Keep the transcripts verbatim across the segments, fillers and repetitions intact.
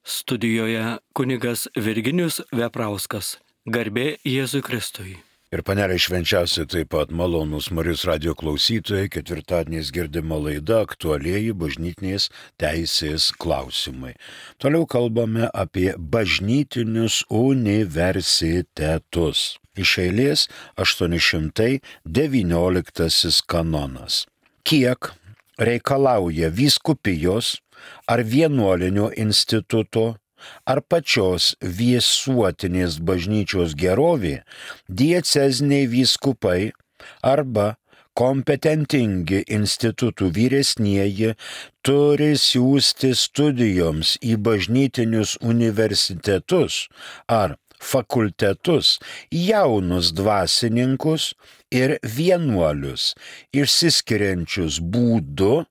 Studijoje kunigas Virginijus Veprauskas. Garbė Jėzui Kristui. Ir panelė švenčiausiai taip pat malonūs Marijos radijo klausytojai, ketvirtadieniais girdima laida aktualieji bažnytinės teisės klausimai. Toliau kalbame apie bažnytinius universitetus. Iš eilės aštuoni šimtai devynioliktasis kanonas. Kiek reikalauja vyskupijos ar vienuolinio instituto ar pačios visuotinės bažnyčios gerovė, dieceziniai vyskupai arba kompetentingi institutų vyresnieji turi siųsti studijoms į bažnytinius universitetus ar fakultetus jaunus dvasininkus ir vienuolius, išsiskiriančius būdu,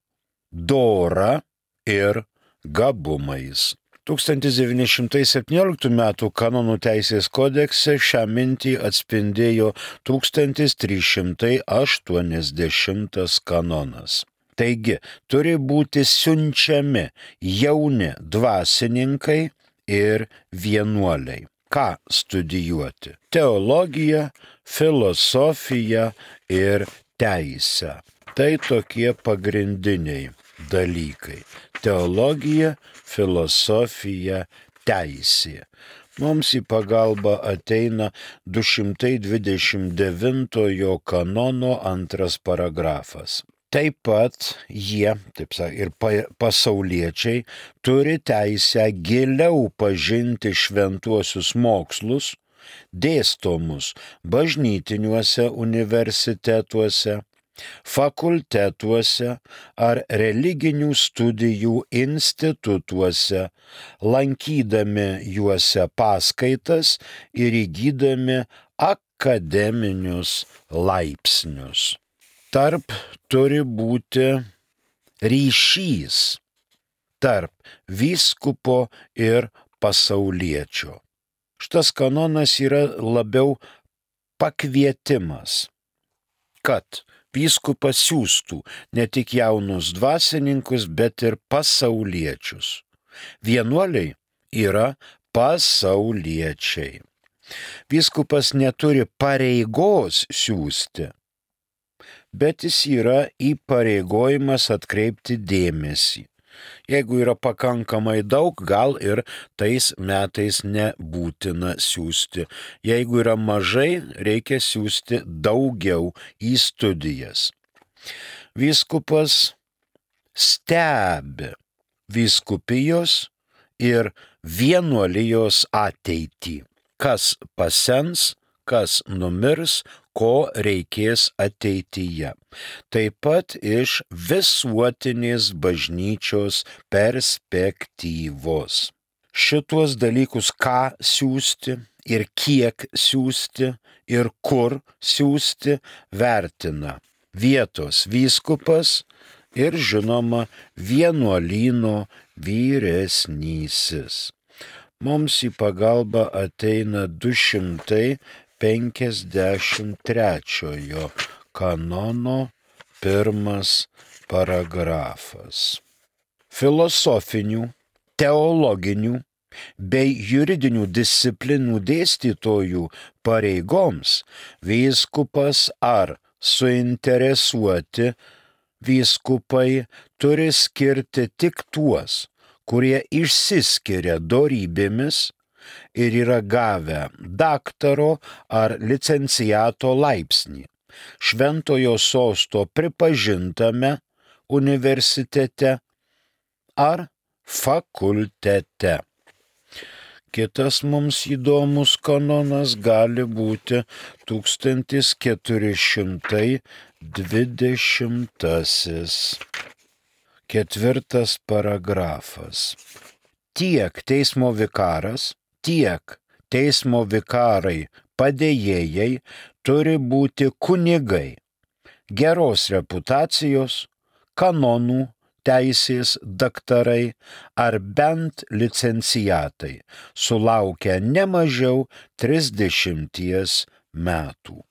dora ir gabumais. tūkstantis devyni šimtai septynioliktų metų kanonų teisės kodekse šią mintį atspindėjo tūkstantis trys šimtai aštuoniasdešimtas kanonas. Taigi, turi būti siunčiami jauni dvasininkai ir vienuoliai. Ką studijuoti? Teologiją, filosofiją ir teisę. Tai tokie pagrindiniai dalykai. Teologija, filosofija, teisė. Mums į pagalbą ateina du šimtai dvidešimt devintojo kanono antras paragrafas. Taip pat jie, taip sakant, ir pasauliečiai turi teisę giliau pažinti šventuosius mokslus, dėstomus bažnytiniuose universitetuose, fakultetuose ar religinių studijų institutuose, lankydami juose paskaitas ir įgydami akademinius laipsnius. Tarp turi būti ryšys tarp vyskupo ir pasauliečio. Šitas kanonas yra labiau pakvietimas, kad vyskupas siųstų ne tik jaunus dvasininkus, bet ir pasauliečius. Vienuoliai yra pasauliečiai. Vyskupas neturi pareigos siųsti, bet jis yra įpareigojimas atkreipti dėmesį. Jeigu yra pakankamai daug, gal ir tais metais nebūtina siųsti. Jeigu yra mažai, reikia siųsti daugiau į studijas. Vyskupas stebi vyskupijos ir vienuolijos ateitį. Kas pasens, kas numirs, ko reikės ateityje. Taip pat iš visuotinės bažnyčios perspektyvos. Šituos dalykus, ką siųsti ir kiek siųsti ir kur siųsti, vertina vietos vyskupas ir, žinoma, vienuolyno vyresnysis. Mums į pagalbą ateina du šimtai penkiasdešimt trečiojo kanono pirmas paragrafas. Filosofinių, teologinių bei juridinių disciplinų dėstytojų pareigoms vyskupas ar suinteresuoti vyskupai turi skirti tik tuos, kurie išsiskiria dorybėmis ir yra gavę daktaro ar licenciato laipsnį šventojo sosto pripažintame universitete ar fakultete. Kitas mums įdomus kanonas gali būti tūkstantis keturi šimtai dvidešimtasis. Ketvirtas paragrafas. Tiek teismo vikaras, tiek teismo vikarai padėjėjai turi būti kunigai, geros reputacijos, kanonų, teisės daktarai ar bent licenciatai, sulaukę ne mažiau trisdešimties metų.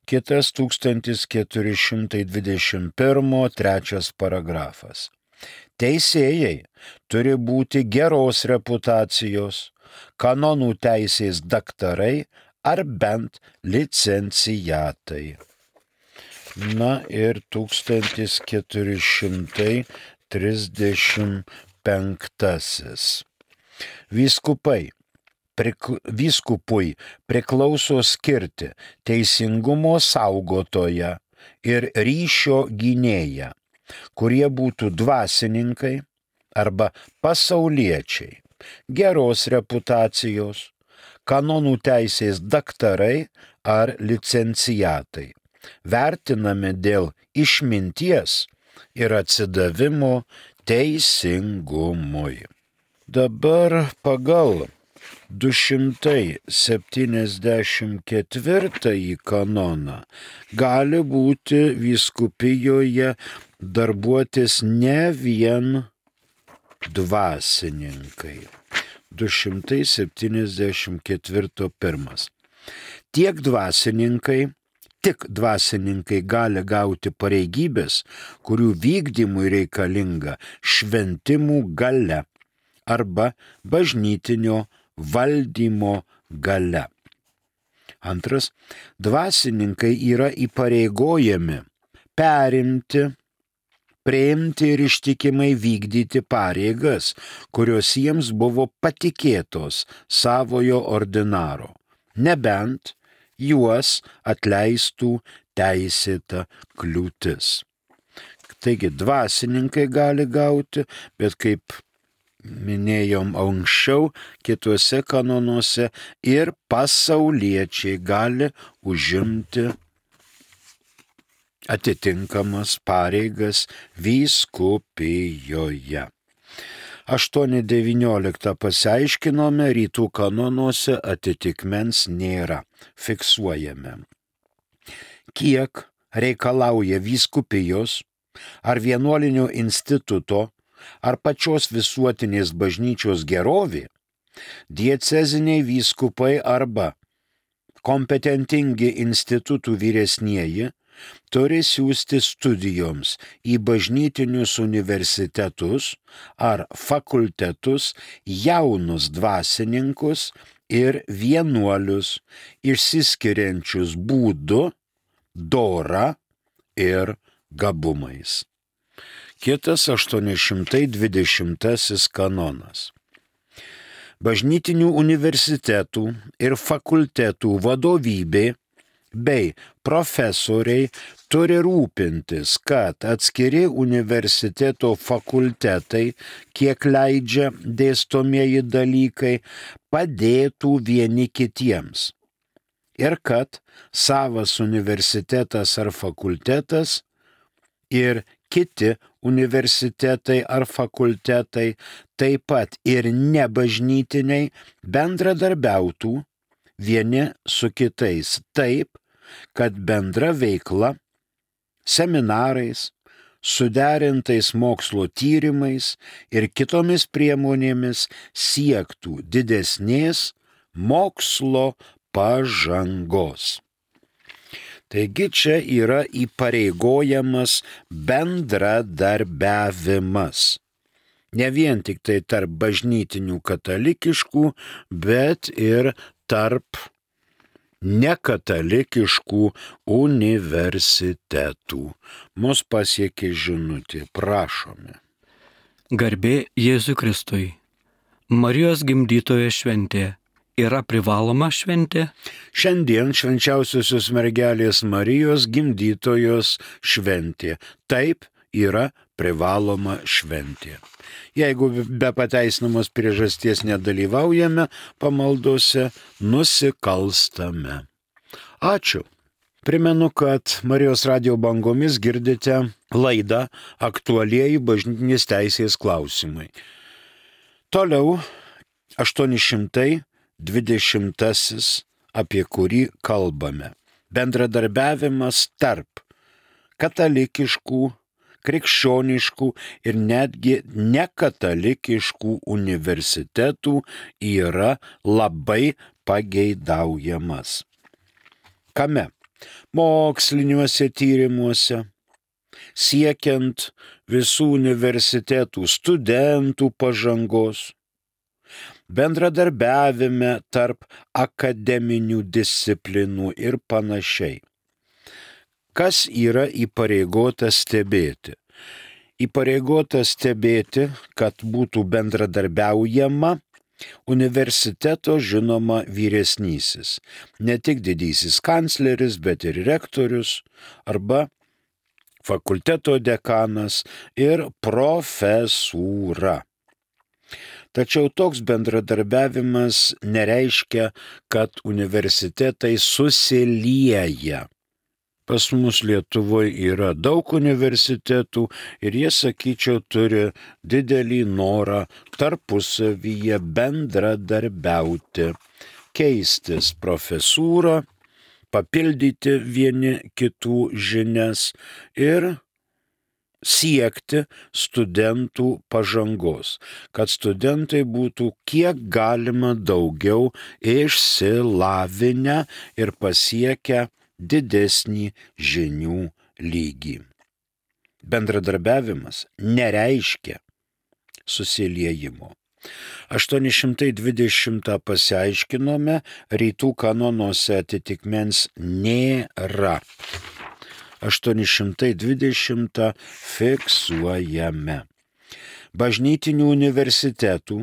Kitas tūkstantis keturi šimtai dvidešimt pirmo trečias paragrafas. Teisėjai turi būti geros reputacijos, kanonų teisės daktarai ar bent licencijatai. Na ir tūkstantis keturi šimtai trisdešimt penktasis. Vyskupai, prikl... Vyskupui priklauso skirti teisingumo saugotoją ir ryšio gynėją, kurie būtų dvasininkai arba pasauliečiai, geros reputacijos, kanonų teisės daktarai ar licencijatai, vertinami dėl išminties ir atsidavimo teisingumui. Dabar pagal du šimtai septyniasdešimt ketvirtąjį kanoną gali būti vyskupijoje darbuotis ne vien dvasininkai. du šimtai septyniasdešimt ketvirtas pirmas. Tiek dvasininkai, tik dvasininkai gali gauti pareigybės, kurių vykdymui reikalinga šventimų galia arba bažnytinio valdymo galia. Antras, dvasininkai yra įpareigojami perimti, priimti ir ištikimai vykdyti pareigas, kurios jiems buvo patikėtos savojo ordinaro, nebent juos atleistų teisėta kliūtis. Taigi dvasininkai gali gauti, bet kaip minėjom anksčiau, kituose kanonuose ir pasauliečiai gali užimti atitinkamas pareigas vyskupijoje. aštuoni devyniolika pasiaiškinome, rytų kanonuose atitikmens nėra, fiksuojame. Kiek reikalauja vyskupijos ar vienuolinio instituto ar pačios visuotinės bažnyčios gerovė, dieceziniai vyskupai arba kompetentingi institutų vyresnieji turi siųsti studijoms į bažnytinius universitetus ar fakultetus jaunus dvasininkus ir vienuolius, išsiskiriančius būdu, dora ir gabumais. Kitas aštuoni šimtai dvidešimtasis kanonas. Bažnytinių universitetų ir fakultetų vadovybė bei profesoriai turi rūpintis, kad atskiri universiteto fakultetai, kiek leidžia dėstomieji dalykai, padėtų vieni kitiems ir kad savas universitetas ar fakultetas ir kiti universitetai ar fakultetai, taip pat ir nebažnytiniai, bendradarbiautų vieni su kitais taip, kad bendra veikla, seminarais, suderintais mokslo tyrimais ir kitomis priemonėmis siektų didesnės mokslo pažangos. Taigi čia yra įpareigojamas bendradarbiavimas. Ne vien tik tai tarp bažnytinių katalikiškų, bet ir tarp nekatalikiškų universitetų. Mus pasiekė žinutė, prašome. Garbė Jėzui Kristui. Marijos gimdytojo šventė yra privaloma šventė? Šiandien švenčiausiosios mergelės Marijos gimdytojos šventė. Taip, yra privaloma šventė. Jeigu be pateisinamos priežasties nedalyvaujame pamaldose, nusikalstame. Ačiū. Primenu, kad Marijos radijo bangomis girdite laidą Aktualieji bažnytinės teisės klausimai. Toliau aštuoni šimtai dvidešimtasis, apie kurį kalbame. Bendradarbiavimas tarp katalikiškų, krikščioniškų ir netgi nekatalikiškų universitetų yra labai pageidaujamas. Kame? Moksliniuose tyrimuose, siekiant visų universitetų studentų pažangos, bendradarbiavime tarp akademinių disciplinų ir panašiai. Kas yra įpareigota stebėti? Įpareigota stebėti, kad būtų bendradarbiaujama universiteto žinoma vyresnysis, ne tik didysis kancleris, bet ir rektorius arba fakulteto dekanas ir profesūra. Tačiau toks bendradarbiavimas nereiškia, kad universitetai susilieja. Pas mus Lietuvoje yra daug universitetų ir jie, sakyčiau, turi didelį norą tarpusavyje bendradarbiauti, keistis profesūrą, papildyti vieni kitų žinias ir siekti studentų pažangos, kad studentai būtų kiek galima daugiau išsilavinę ir pasiekę didesnį žinių lygį. Bendradarbiavimas nereiškia susiliejimo. aštuoni šimtai dvidešimtą pasiaiškinome, rytų kanonuose atitikmens nėra. aštuoni šimtai dvidešimtą fiksuojame. Bažnytinių universitetų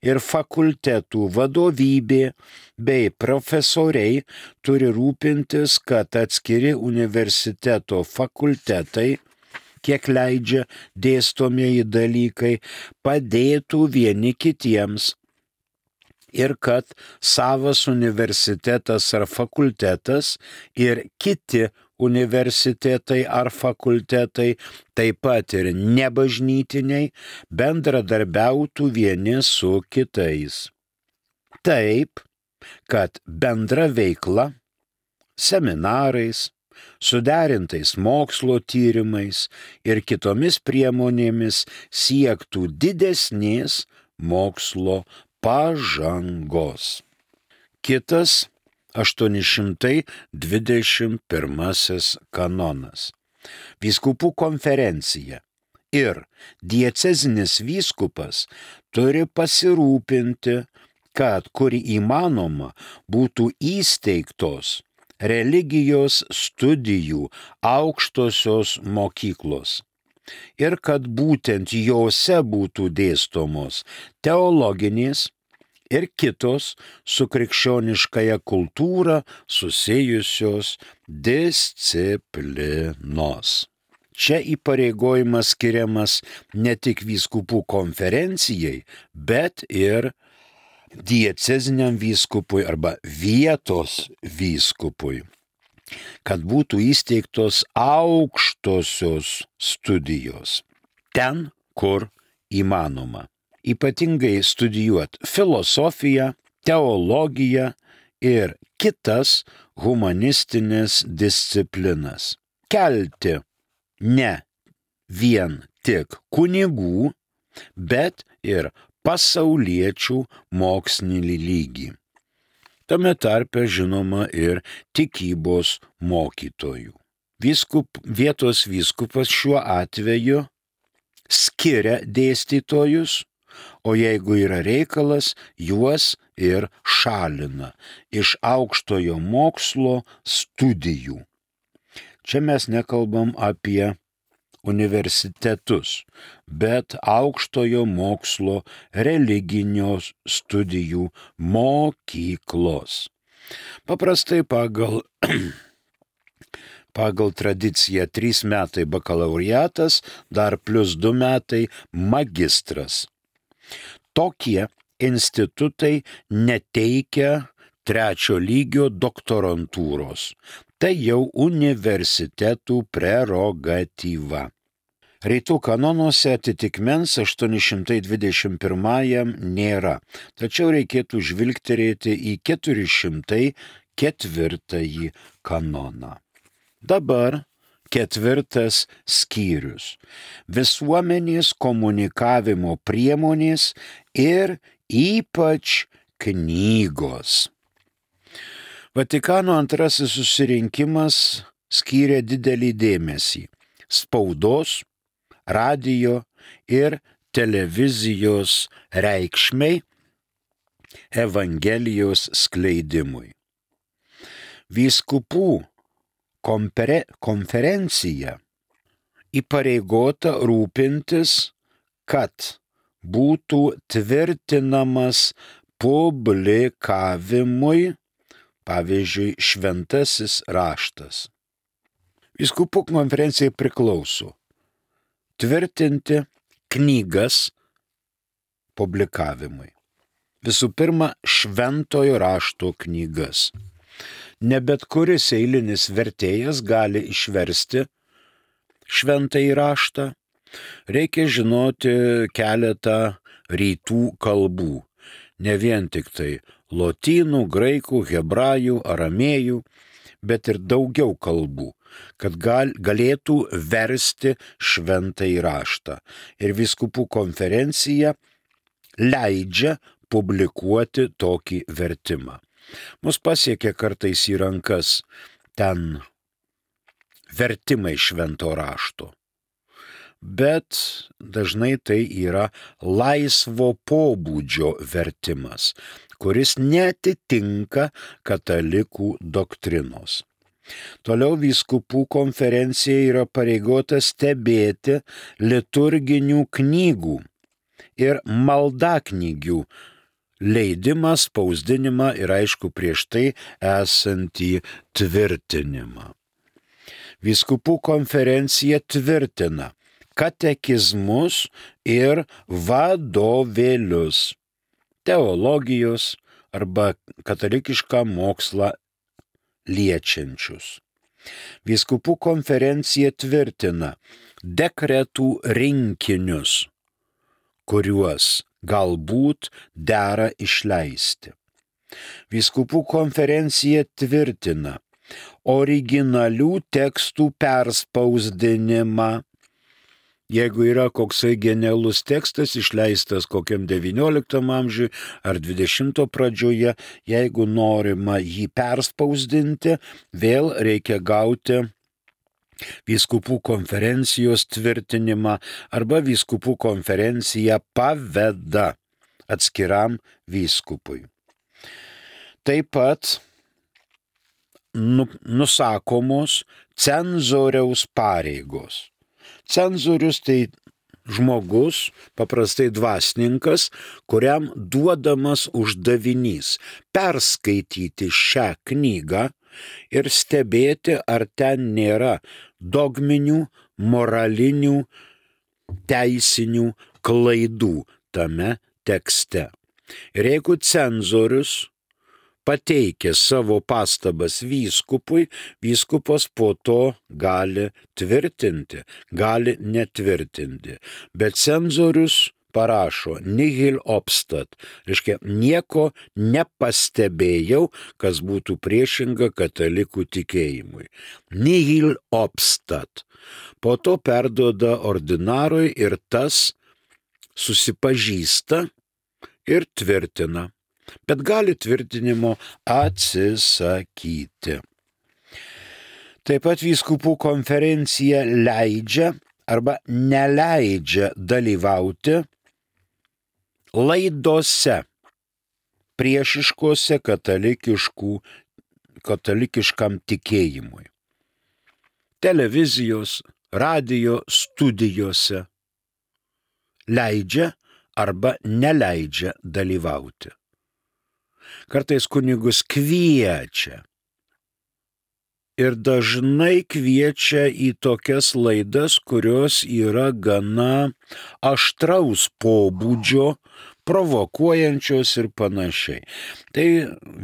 ir fakultetų vadovybė bei profesoriai turi rūpintis, kad atskiri universiteto fakultetai, kiek leidžia dėstomieji dalykai, padėtų vieni kitiems ir kad savas universitetas ar fakultetas ir kiti universitetai ar fakultetai, taip pat ir nebažnytiniai, bendradarbiautų vieni su kitais. Taip, kad bendra veikla, seminarais, suderintais mokslo tyrimais ir kitomis priemonėmis siektų didesnės mokslo pažangos. Kitas aštuoni šimtai dvidešimt pirmasis kanonas. Vyskupų konferencija ir diecezinis vyskupas turi pasirūpinti, kad kur įmanoma būtų įsteigtos religijos studijų aukštosios mokyklos ir kad būtent jose būtų dėstomos teologinės ir kitos su krikščioniškąja kultūra susijusios disciplinos. Čia įpareigojimas skiriamas ne tik vyskupų konferencijai, bet ir dieceziniam vyskupui arba vietos vyskupui, kad būtų įsteigtos aukštosios studijos ten, kur įmanoma. Ypatingai studijuoti filosofiją, teologiją ir kitas humanistinės disciplinas. Kelti ne vien tik kunigų, bet ir pasauliečių mokslinį lygį. Tame tarpe žinoma ir tikybos mokytojų. Vyskup, vietos vyskupas šiuo atveju skiria dėstytojus, o jeigu yra reikalas, juos ir šalina iš aukštojo mokslo studijų. Čia mes nekalbam apie universitetus, bet aukštojo mokslo religinios studijų mokyklos. Paprastai pagal, pagal tradiciją trys metai bakalaureatas, dar plus du metai magistras. Tokie institutai neteikia trečio lygio doktorantūros. Tai jau universitetų prerogatyva. Rytų kanonuose atitikmens aštuoni šimtai dvidešimt pirmajam nėra, tačiau reikėtų žvilgterėti į keturi šimtai ketvirtąjį kanoną. Dabar ketvirtas skyrius – visuomenės komunikavimo priemonės ir ypač knygos. Vatikano antrasis susirinkimas skyrė didelį dėmesį spaudos, radijo ir televizijos reikšmei Evangelijos skleidimui. Vyskupų konferencija įpareigota rūpintis, kad būtų tvirtinamas publikavimui, pavyzdžiui, šventasis raštas. Vyskupų konferencijai priklauso tvirtinti knygas publikavimui. Visų pirma, šventojo rašto knygas. Ne bet kuris eilinis vertėjas gali išversti šventąjį raštą. Reikia žinoti keletą rytų kalbų. Ne vien tik tai lotynų, graikų, hebrajų, aramėjų, bet ir daugiau kalbų, kad gal, galėtų versti šventąjį raštą. Ir vyskupų konferencija leidžia publikuoti tokį vertimą. Mus pasiekia kartais į rankas ten vertimai švento rašto, bet dažnai tai yra laisvo pobūdžio vertimas, kuris neatitinka katalikų doktrinos. Toliau vyskupų konferencija yra pareigota stebėti liturginių knygų ir maldaknygių leidimą, spausdinimą ir aišku prieš tai esantį tvirtinimą. Vyskupų konferencija tvirtina katekizmus ir vadovėlius, teologijos arba katalikišką mokslą liečiančius. Vyskupų konferencija tvirtina dekretų rinkinius, kuriuos galbūt dera išleisti. Vyskupų konferencija tvirtina originalių tekstų perspausdinimą. Jeigu yra koksai genialus tekstas išleistas kokiam devynioliktam amžiui ar dvidešimto pradžioje, jeigu norima jį perspausdinti, vėl reikia gauti vyskupų konferencijos tvirtinimą arba vyskupų konferencija paveda atskiram vyskupui. Taip pat nusakomos cenzoriaus pareigos. Cenzorius tai žmogus, paprastai dvasininkas, kuriam duodamas uždavinys perskaityti šią knygą ir stebėti, ar ten nėra dogminių, moralinių, teisinių klaidų tame tekste. Ir jeigu cenzorius pateikia savo pastabas vyskupui, vyskupas po to gali tvirtinti, gali netvirtinti. Bet cenzorius parašo nihil obstat, reiškia nieko nepastebėjau, kas būtų priešinga katalikų tikėjimui. Nihil obstat. Po to perduoda ordinarui ir tas susipažįsta ir tvirtina, bet gali tvirtinimo atsisakyti. Taip pat vyskupų konferencija leidžia arba neleidžia dalyvauti laidose priešiškose katalikiškam tikėjimui. Televizijos, radijo studijose leidžia arba neleidžia dalyvauti. Kartais kunigus kviečia ir dažnai kviečia į tokias laidas, kurios yra gana aštraus pobūdžio, provokuojančios ir panašiai. Tai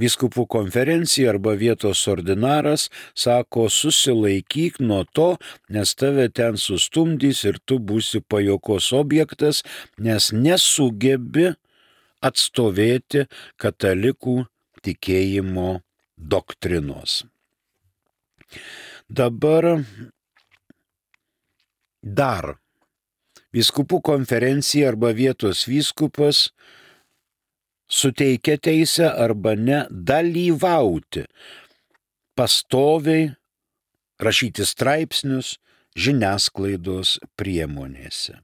vyskupų konferencija arba vietos ordinaras sako, susilaikyk nuo to, nes tave ten sustumdys ir tu būsi pajuokos objektas, nes nesugebi atstovėti katalikų tikėjimo doktrinos. Dabar dar vyskupų konferencija arba vietos vyskupas suteikia teisę arba ne dalyvauti pastoviai, rašyti straipsnius, žiniasklaidos priemonėse.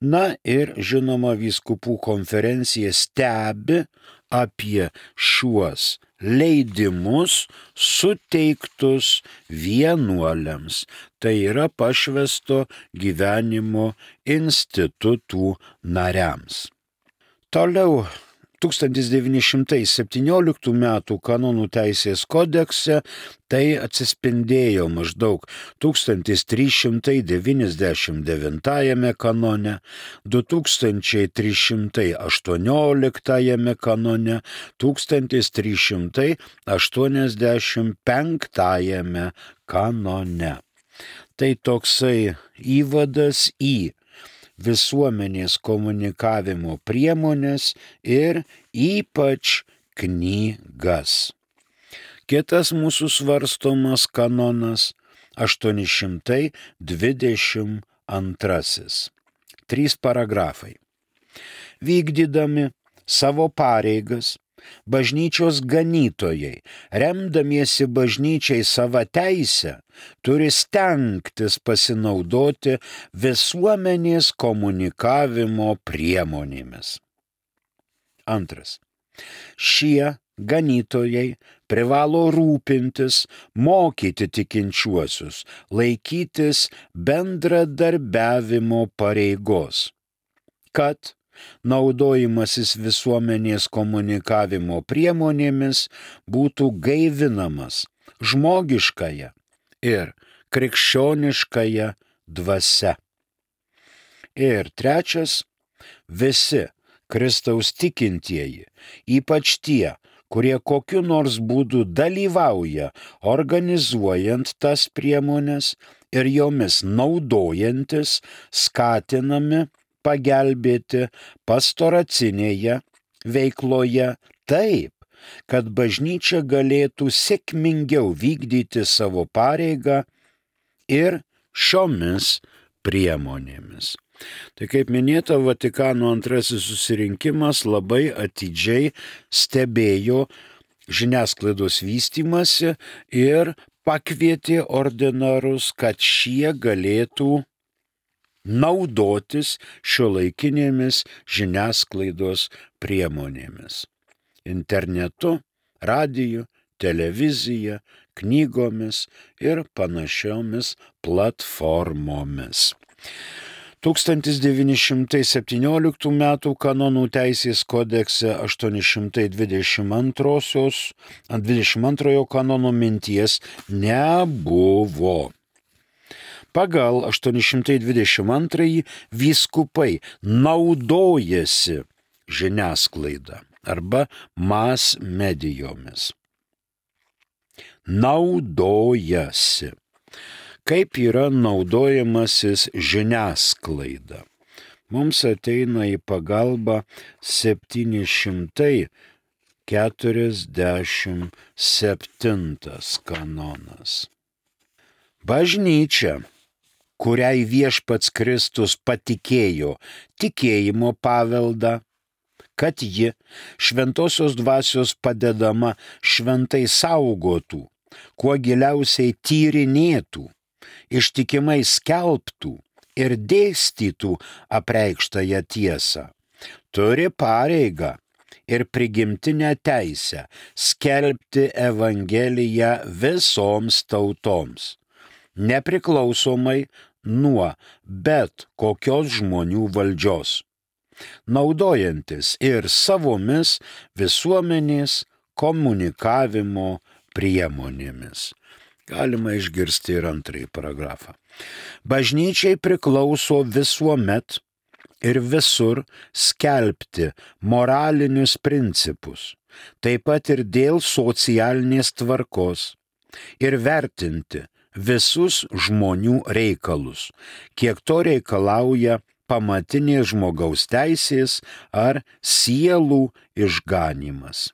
Na ir žinoma, vyskupų konferencija stebi apie šiuos leidimus suteiktus vienuoliams, tai yra pašvęsto gyvenimo institutų nariams. Toliau tūkstantis devyni šimtai septynioliktų metų kanonų teisės kodekse tai atsispindėjo maždaug tūkstantis trys šimtai devyniasdešimt devintajame kanone, du tūkstančiai trys šimtai aštuonioliktajame kanone, tūkstantis trys šimtai aštuoniasdešimt penktajame kanone. Tai toksai įvadas į visuomenės komunikavimo priemonės ir ypač knygas. Kitas mūsų svarstomas kanonas aštuoni šimtai dvidešimt antrasis. Trys paragrafai. Vykdydami savo pareigas, bažnyčios ganytojai, remdamiesi bažnyčiai savo teisę, turi stengtis pasinaudoti visuomenės komunikavimo priemonėmis. Antras. Šie ganytojai privalo rūpintis, mokyti tikinčiuosius, laikytis bendradarbiavimo pareigos, kad naudojimasis visuomenės komunikavimo priemonėmis būtų gaivinamas žmogiškąja ir krikščioniškąja dvasia. Ir trečias, visi Kristaus tikintieji, ypač tie, kurie kokiu nors būdu dalyvauja organizuojant tas priemones ir jomis naudojantis, skatinami pagelbėti pastoracinėje veikloje taip, kad bažnyčia galėtų sėkmingiau vykdyti savo pareigą ir šiomis priemonėmis. Tai kaip minėta, Vatikano antrasis susirinkimas labai atidžiai stebėjo žiniasklaidos vystymąsi ir pakvietė ordinarus, kad šie galėtų naudotis šiuolaikinėmis žiniasklaidos priemonėmis. Internetu, radiju, televizija, knygomis ir panašiomis platformomis. tūkstantis devyni šimtai septynioliktų metų kanonų teisės kodekse aštuoni šimtai dvidešimt antrojo kanono minties nebuvo. Pagal aštuoni šimtai dvidešimt antrąjį vyskupai naudojasi žiniasklaida arba mas medijomis. Naudojasi. Kaip yra naudojamasis žiniasklaida? Mums ateina į pagalbą septyni šimtai keturiasdešimt septintas kanonas. Bažnyčia, kuriai viešpats Kristus patikėjo tikėjimo paveldą, kad ji šventosios dvasios padedama šventai saugotų, kuo giliausiai tyrinėtų, ištikimai skelbtų ir dėstytų apreikštąją tiesą, turi pareigą ir prigimtinę teisę skelbti Evangeliją visoms tautoms, nepriklausomai nuo bet kokios žmonių valdžios, naudojantis ir savomis visuomenės komunikavimo priemonėmis. Galima išgirsti ir antrąjį paragrafą. Bažnyčiai priklauso visuomet ir visur skelbti moralinius principus, taip pat ir dėl socialinės tvarkos, ir vertinti visus žmonių reikalus, kiek to reikalauja pamatinės žmogaus teisės ar sielų išganymas.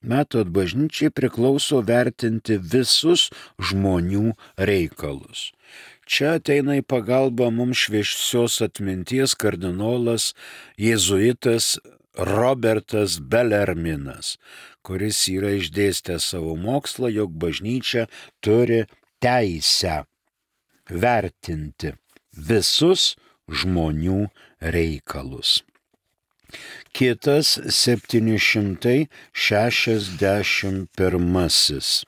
Matot, bažnyčiai priklauso vertinti visus žmonių reikalus. Čia ateina į pagalbą mums šviesios atminties kardinolas jėzuitas Robertas Belerminas, kuris yra išdėstęs savo mokslą, jog bažnyčia turi teisę vertinti visus žmonių reikalus. Kitas septyni šimtai šešiasdešimt pirmasis.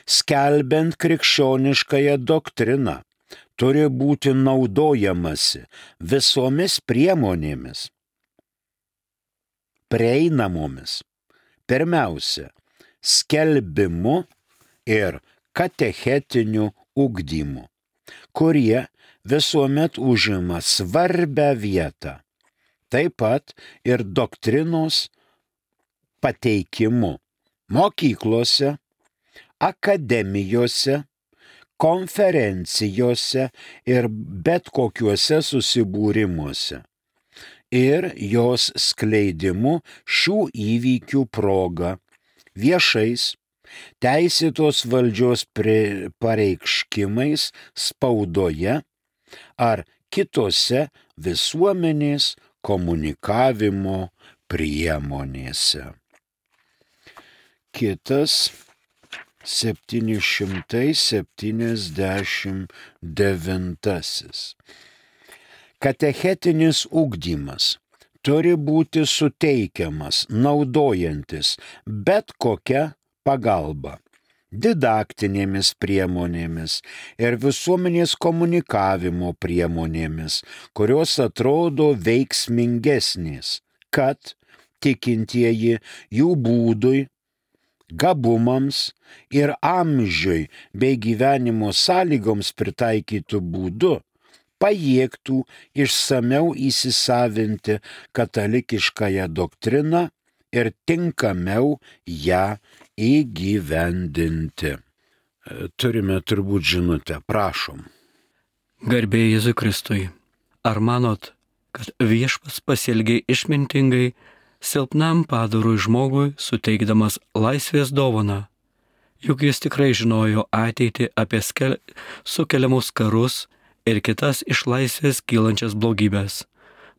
Skelbiant krikščioniškąją doktriną, turi būti naudojamasi visomis priemonėmis, prieinamomis, pirmiausia, skelbimu ir katechetiniu ugdymu, kurie visuomet užima svarbią vietą, taip pat ir doktrinos pateikimu mokyklose, akademijose, konferencijose ir bet kokiuose susibūrimuose ir jos skleidimu šių įvykių proga viešais, teisėtos valdžios pareiškimais spaudoje ar kitose visuomenės komunikavimo priemonėse. Kitas septyni šimtai septyniasdešimt devintasis. Katechetinis ugdymas turi būti suteikiamas naudojantis bet kokią pagalbą, didaktinėmis priemonėmis ir visuomenės komunikavimo priemonėmis, kurios atrodo veiksmingesnės, kad tikintieji jų būdui, gabumams ir amžiui bei gyvenimo sąlygoms pritaikytų būdu pajėgtų išsameu įsisavinti katalikiškąją doktriną ir tinkamiau ją įgyvendinti. Turime turbūt žinutę, prašom. Garbė Jėzui Kristui. Ar manot, kad viešpats pasielgė išmintingai silpnam padorui žmogui suteikdamas laisvės dovaną? Juk jis tikrai žinojo ateitį apie skel... sukeliamus karus ir kitas iš laisvės kylančias blogybės.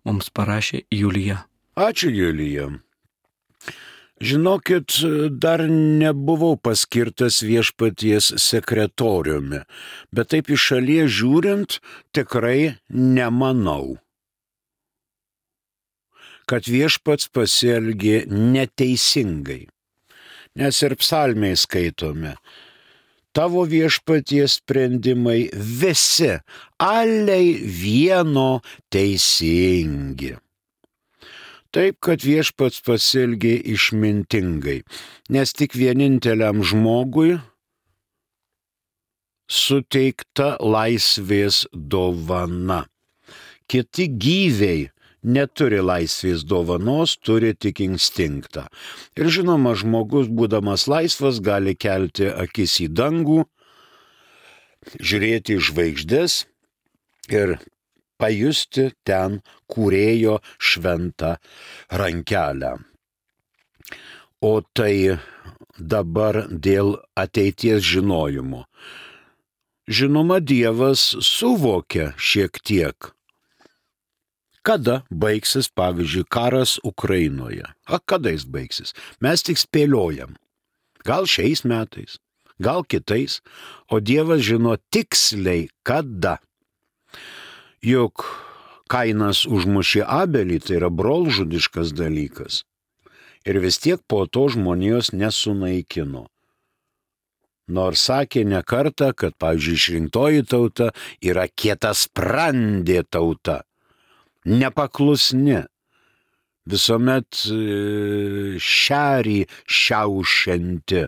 Mums parašė Julija. Ačiū, Julija. Žinokit, dar nebuvau paskirtas viešpaties sekretoriumi, bet taip iš šalies žiūrint, tikrai nemanau, kad viešpats pasielgė neteisingai. Nes ir psalmiai skaitome, tavo viešpaties sprendimai visi, aliai vieno teisingi. Taip, kad viešpats pasielgė išmintingai, nes tik vieninteliam žmogui suteikta laisvės dovana. Kiti gyviai neturi laisvės dovanos, turi tik instinktą. Ir žinoma, žmogus, būdamas laisvas, gali kelti akis į dangų, žiūrėti į žvaigždes ir pajusti ten kūrėjo šventą rankelę. O tai dabar dėl ateities žinojimo. Žinoma, Dievas suvokia šiek tiek, kada baigsis, pavyzdžiui, karas Ukrainoje. A, kada jis baigsis? Mes tik spėliojam. Gal šiais metais, gal kitais, o Dievas žino tiksliai kada. Juk Kainas užmušė Abelį, tai yra brolžudiškas dalykas. Ir vis tiek po to žmonijos nesunaikino. Nors sakė ne kartą, kad, pavyzdžiui, išrinktoji tauta yra kietasprandė tauta, nepaklusni, visuomet šerį šiaušianti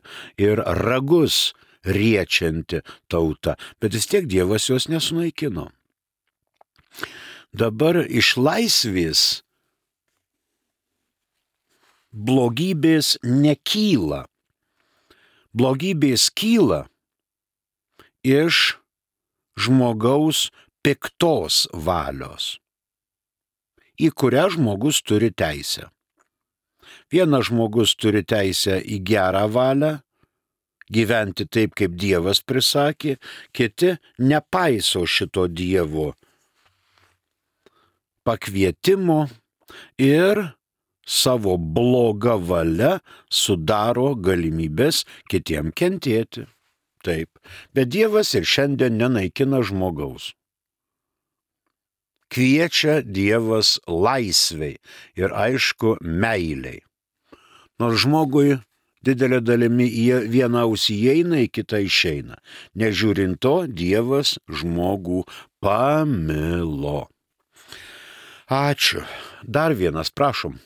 ir ragus riečianti tauta, bet vis tiek Dievas jos nesunaikino. Dabar iš laisvės blogybės nekyla. Blogybės kyla iš žmogaus piktos valios, į kurią žmogus turi teisę. Vienas žmogus turi teisę į gerą valią, gyventi taip, kaip Dievas prisakė, kiti nepaiso šito Dievo pakvietimo ir savo blogą valią sudaro galimybės kitiem kentėti. taip, bet Dievas ir šiandien nenaikina žmogaus. Kviečia Dievas laisvei ir aišku meiliai. Nors žmogui didelė dalimi į vieną ausį įeina, į kitą išeina. Nežiūrint to, Dievas žmogų pamilo. Ačiū. Dar vienas, prašom.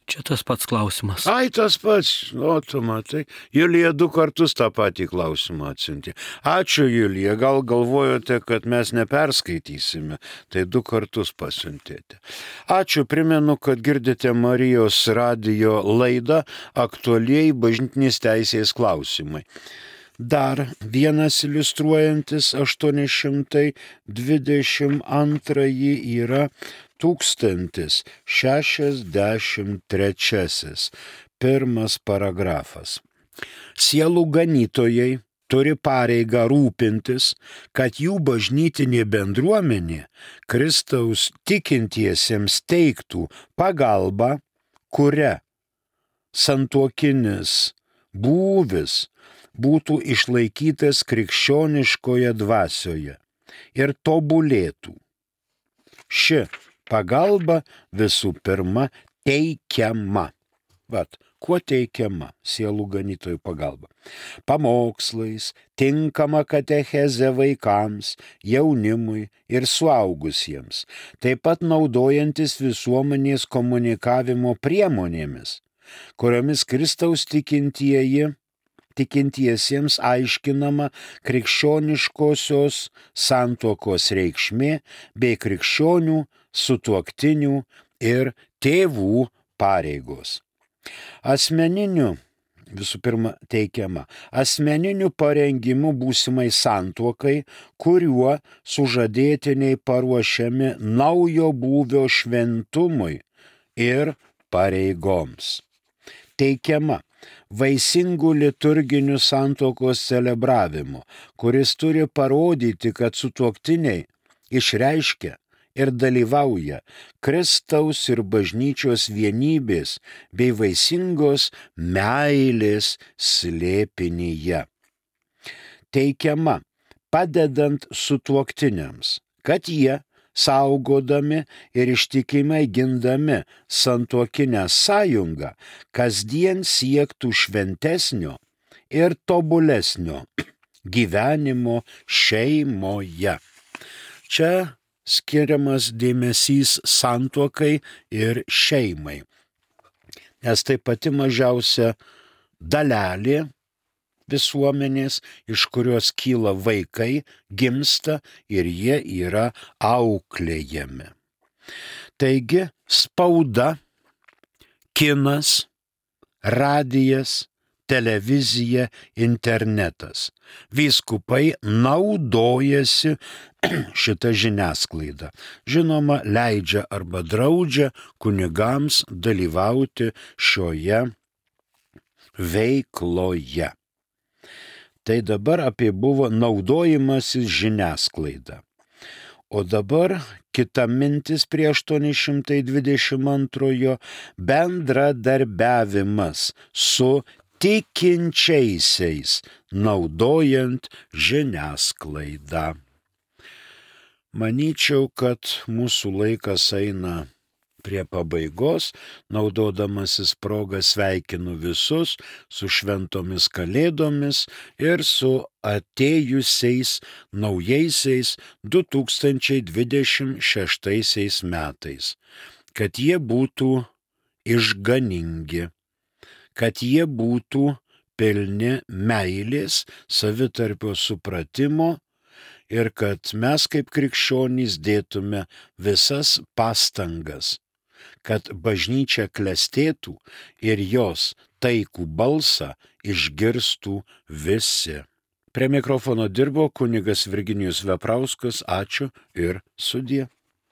Čia tas pats klausimas. Ai, tas pats, o tu matai. Julija du kartus tą patį klausimą atsiuntė. Ačiū, Julija, gal galvojote, kad mes neperskaitysime, tai du kartus pasiuntėte. Ačiū, primenu, kad girdite Marijos radijo laidą Aktualieji bažnytinės teisės klausimai. Dar vienas iliustruojantis aštuoni šimtai dvidešimt antrąjį yra tūkstantis šešiasdešimt trečiasis, pirmas paragrafas. Sielų ganytojai turi pareigą rūpintis, kad jų bažnytinė bendruomenė Kristaus tikintiesiems teiktų pagalbą, kuria santuokinis būvis būtų išlaikytas krikščioniškoje dvasioje ir tobulėtų. Ši pagalba visų pirma teikiama. Vat, kuo teikiama sielų ganytojų pagalba? Pamokslais, tinkama katecheze vaikams, jaunimui ir suaugusiems, taip pat naudojantis visuomenės komunikavimo priemonėmis, kuriomis Kristaus tikintieji tikintiesiems aiškinama krikščioniškosios santuokos reikšmė bei krikščionių, sutuoktinių ir tėvų pareigos. Asmeniniu, visų pirma teikiama, asmeniniu parengimu būsimai santuokai, kuriuo sužadėtiniai paruošiami naujo būvio šventumui ir pareigoms. Teikiama vaisingų liturginių santuokos celebravimu, kuris turi parodyti, kad sutuoktiniai išreiškia ir dalyvauja Kristaus ir bažnyčios vienybės bei vaisingos meilės slėpinyje. Teikiama padedant sutuoktiniams, kad jie, saugodami ir ištikimai gindami santuokinę sąjungą, kasdien siektų šventesnio ir tobulesnio gyvenimo šeimoje. Čia skiriamas dėmesys santuokai ir šeimai, nes tai pati mažiausia dalelė visuomenės, iš kurios kyla vaikai, gimsta ir jie yra auklėjami. Taigi spauda, kinas, radijas, televizija, internetas. Vyskupai naudojasi šitą žiniasklaidą. Žinoma, leidžia arba draudžia kunigams dalyvauti šioje veikloje. Tai dabar apie buvo naudojimasis žiniasklaida. O dabar kita mintis prie aštuoni šimtai dvidešimt antrojo bendradarbiavimas su tikinčiaisiais, naudojant žiniasklaidą. Manyčiau, kad mūsų laikas eina prie pabaigos, naudodamasis progą sveikinu visus su šventomis kalėdomis ir su atėjusiais naujaisiais du tūkstančiai dvidešimt šeštaisiais metais, kad jie būtų išganingi, kad jie būtų pilni meilės, savitarpio supratimo ir kad mes kaip krikščionys dėtume visas pastangas, kad bažnyčia klestėtų ir jos taikų balsą išgirstų visi. Prie mikrofono dirbo kunigas Virginijus Veprauskas. Ačiū ir sudie.